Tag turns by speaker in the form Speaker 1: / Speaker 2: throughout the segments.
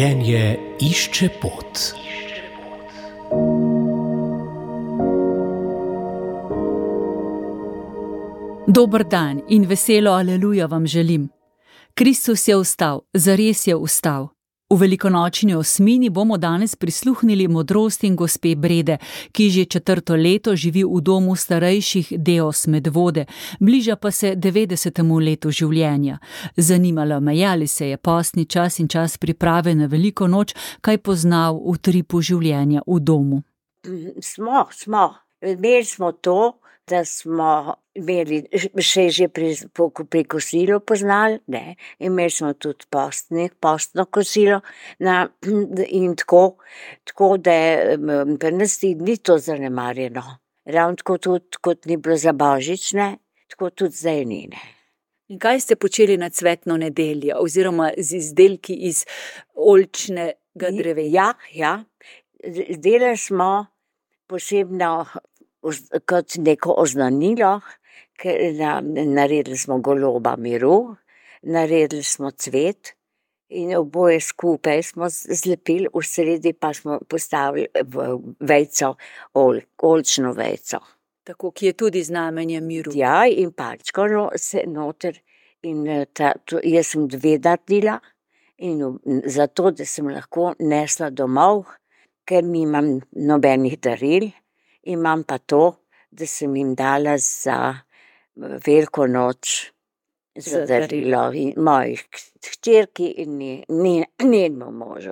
Speaker 1: Življenje išče pot.
Speaker 2: Dober dan in veselo aleluja vam želim. Kristus je vstal, zares je vstal. V velikonočni osmini bomo danes prisluhnili modrosti gospe Brede, ki že 4. leto živi v domu starejših Deos Medvode, bliža pa se 90. letu življenja. Zanimalo me je, ali se je postni čas in čas priprave na veliko noč kaj poznal v tripu življenja v domu.
Speaker 3: Smo. Imeli smo to, da smo imeli še že pri kosilu poznali, ne. Imeli smo tudi postno kosilo in tako da pri nas ni to zanemarjeno. Ravno tako tudi, kot ni bilo za božič, ne, tako tudi zdaj ni, ne.
Speaker 2: In kaj ste počeli na cvetno nedeljo oziroma z izdelki iz oljčnega drevesa?
Speaker 3: Ja. Delali smo posebno kot neko oznanilo, ker naredili smo goloba miru, naredili smo cvet in oboje skupaj smo zlepili, v sredi pa smo postavili vejico, oljčno vejico.
Speaker 2: Tako, ki je tudi znamenje miru.
Speaker 3: Ja, in palčko se noter in jaz sem 2 naredila in zato, da sem lahko nesla domov, ker nimam nobenih daril. Imam pa to, da sem jim dala za veliko noč za darilo mojih hčerki in njenemu možu.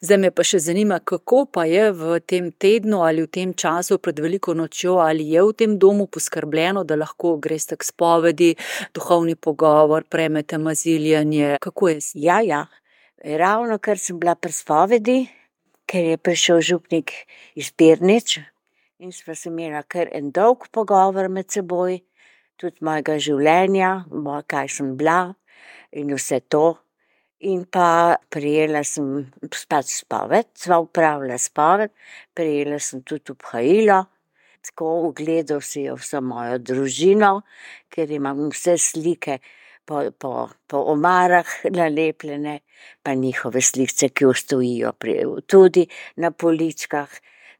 Speaker 2: Zdaj me pa še zanima, kako pa je v tem tednu ali v tem času pred veliko nočjo, ali je v tem domu poskrbljeno, da lahko greste k spovedi, duhovni pogovor, prejmete maziljanje, kako je?
Speaker 3: Ja. Ravno kar sem bila pri spovedi, ker je prišel župnik iz Pirnič, in sva se imela kar en dolg pogovor med seboj, tudi mojega življenja, kaj sem bila in vse to. In pa prejela sem spoved, sva opravila spoved, prejela sem tudi obhajilo, tako ogledal si jo vso mojo družino, ker imam vse slike po omarah nalepljene, pa njihove slikce, ki stojijo tudi na poličkah.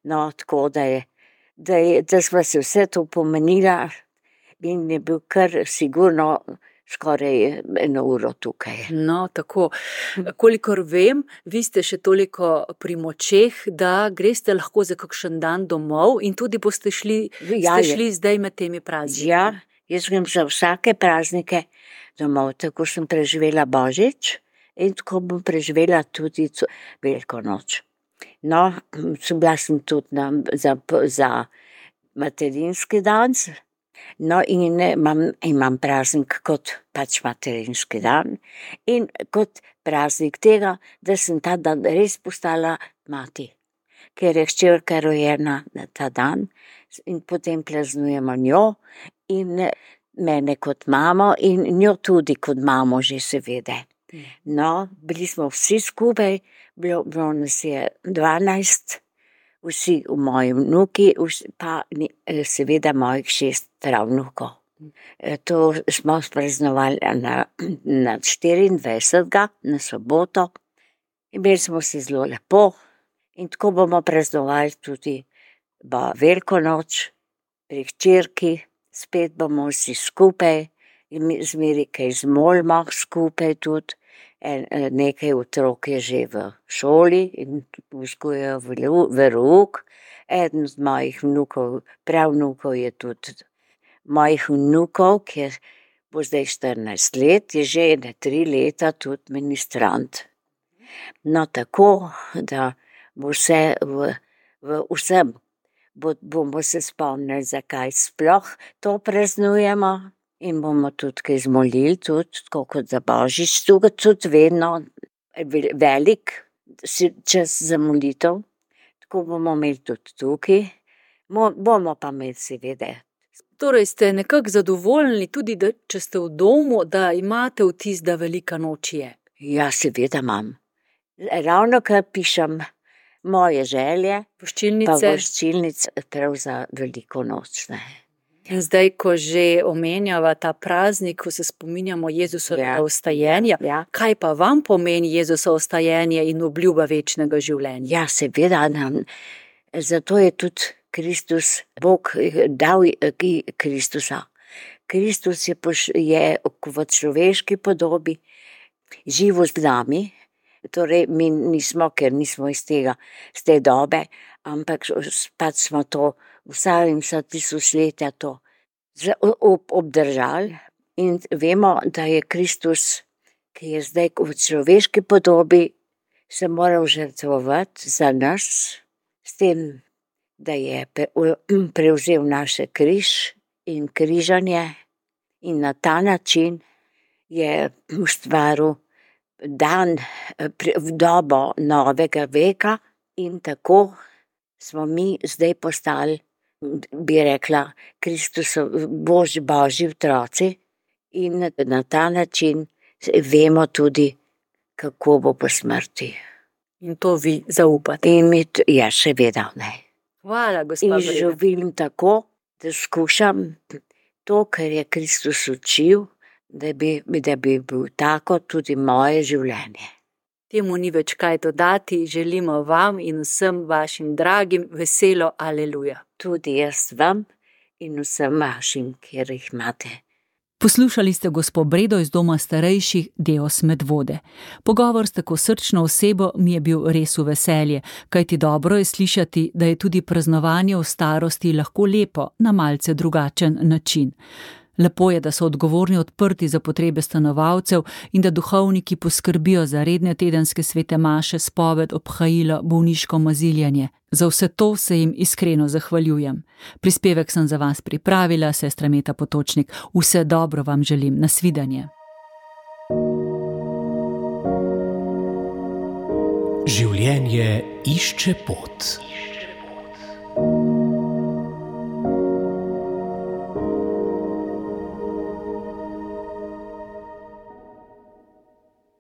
Speaker 3: No, tako da sva se vse to pomenila in je bil kar sigurno skoraj 1 uro tukaj.
Speaker 2: No, tako. Kolikor vem, vi ste še toliko pri močeh, da greste lahko za kakšen dan domov in tudi boste šli zdaj med temi prazniki.
Speaker 3: Ja, jaz grem za vsake praznike domov, tako sem preživela božič in tako bom preživela tudi veliko noč. No, bila sem tudi za materinski dan, no in imam praznik kot pač materinski dan in kot praznik tega, da sem ta dan res postala mati, ker je hčerka rojena na ta dan in potem praznujemo njo in mene kot mamo in njo tudi kot mamo že seveda. No, bili smo vsi skupaj, bilo nas je 12, vsi moji vnuki, pa seveda mojih 6 pravnukov. To smo praznovali na 24. na soboto. Imeli smo se zelo lepo in tako bomo praznovali tudi veliko noč pri hčerki, spet bomo vsi skupaj. Zmeraj kaj zmolimo skupaj tudi, nekaj otrok je že v šoli in vzgojajo verouk. Eden od mojih pravnukov je tudi mojih vnukov, ki bo zdaj 14 let, je že 3 leta tudi ministrant. No, tako, da bo vse v vsem, bomo se spomnili, zakaj sploh to praznujemo. In bomo tudi kaj zmolili, tudi tako kot za božič, tudi vedno velik čas za molitev, tako bomo imeli tudi tukaj, bomo pa imeli seveda.
Speaker 2: Torej ste nekako zadovoljni tudi, da če ste v domu, da imate vtis, da velika noč je?
Speaker 3: Ja, seveda imam. Ravno kar pišem moje želje, pa voščilnice prav za veliko noč, ne.
Speaker 2: In zdaj, ko že omenjava ta praznik, ko se spominjamo Jezusovega vstajenja, kaj pa vam pomeni Jezusovo vstajenje in obljuba večnega življenja?
Speaker 3: Ja, seveda nam. Zato je tudi Kristus, Bog dal Kristusa. Kristus je v človeški podobi živel z nami, torej mi nismo, ker nismo iz te dobe, ampak pač smo to vsa tisočletja to obdržali in vemo, da je Kristus, ki je zdaj v človeški podobi, se moral žrtvovati za nas, s tem, da je prevzel naše križ in križanje in na ta način je ustvaril dan v dobo novega veka in tako smo mi zdaj postali, bi rekla, Božji otroci in na ta način vemo tudi, kako bo po smrti.
Speaker 2: In to vi zaupate.
Speaker 3: In mi, ja, seveda ne.
Speaker 2: Hvala, gospa
Speaker 3: In
Speaker 2: Breda.
Speaker 3: živim tako, da skušam to, kar je Kristus učil, da bi bil tako tudi moje življenje.
Speaker 2: Temu ni več kaj dodati, želimo vam in vsem vašim dragim veselo aleluja.
Speaker 3: Tudi jaz vam in vsem vašim, kjer jih imate.
Speaker 2: Poslušali ste gospo Bredo iz doma starejših Deos Medvode. Pogovor s tako srčno osebo mi je bil res v veselje, kajti dobro je slišati, da je tudi praznovanje v starosti lahko lepo na malce drugačen način. Lepo je, da so odgovorni odprti za potrebe stanovalcev in da duhovniki poskrbijo za redne tedenske svete maše, spoved, obhajilo, bolniško maziljanje. Za vse to se jim iskreno zahvaljujem. Prispevek sem za vas pripravila, sestra Meta Potočnik. Vse dobro vam želim. Nasvidenje.
Speaker 1: Življenje išče pot.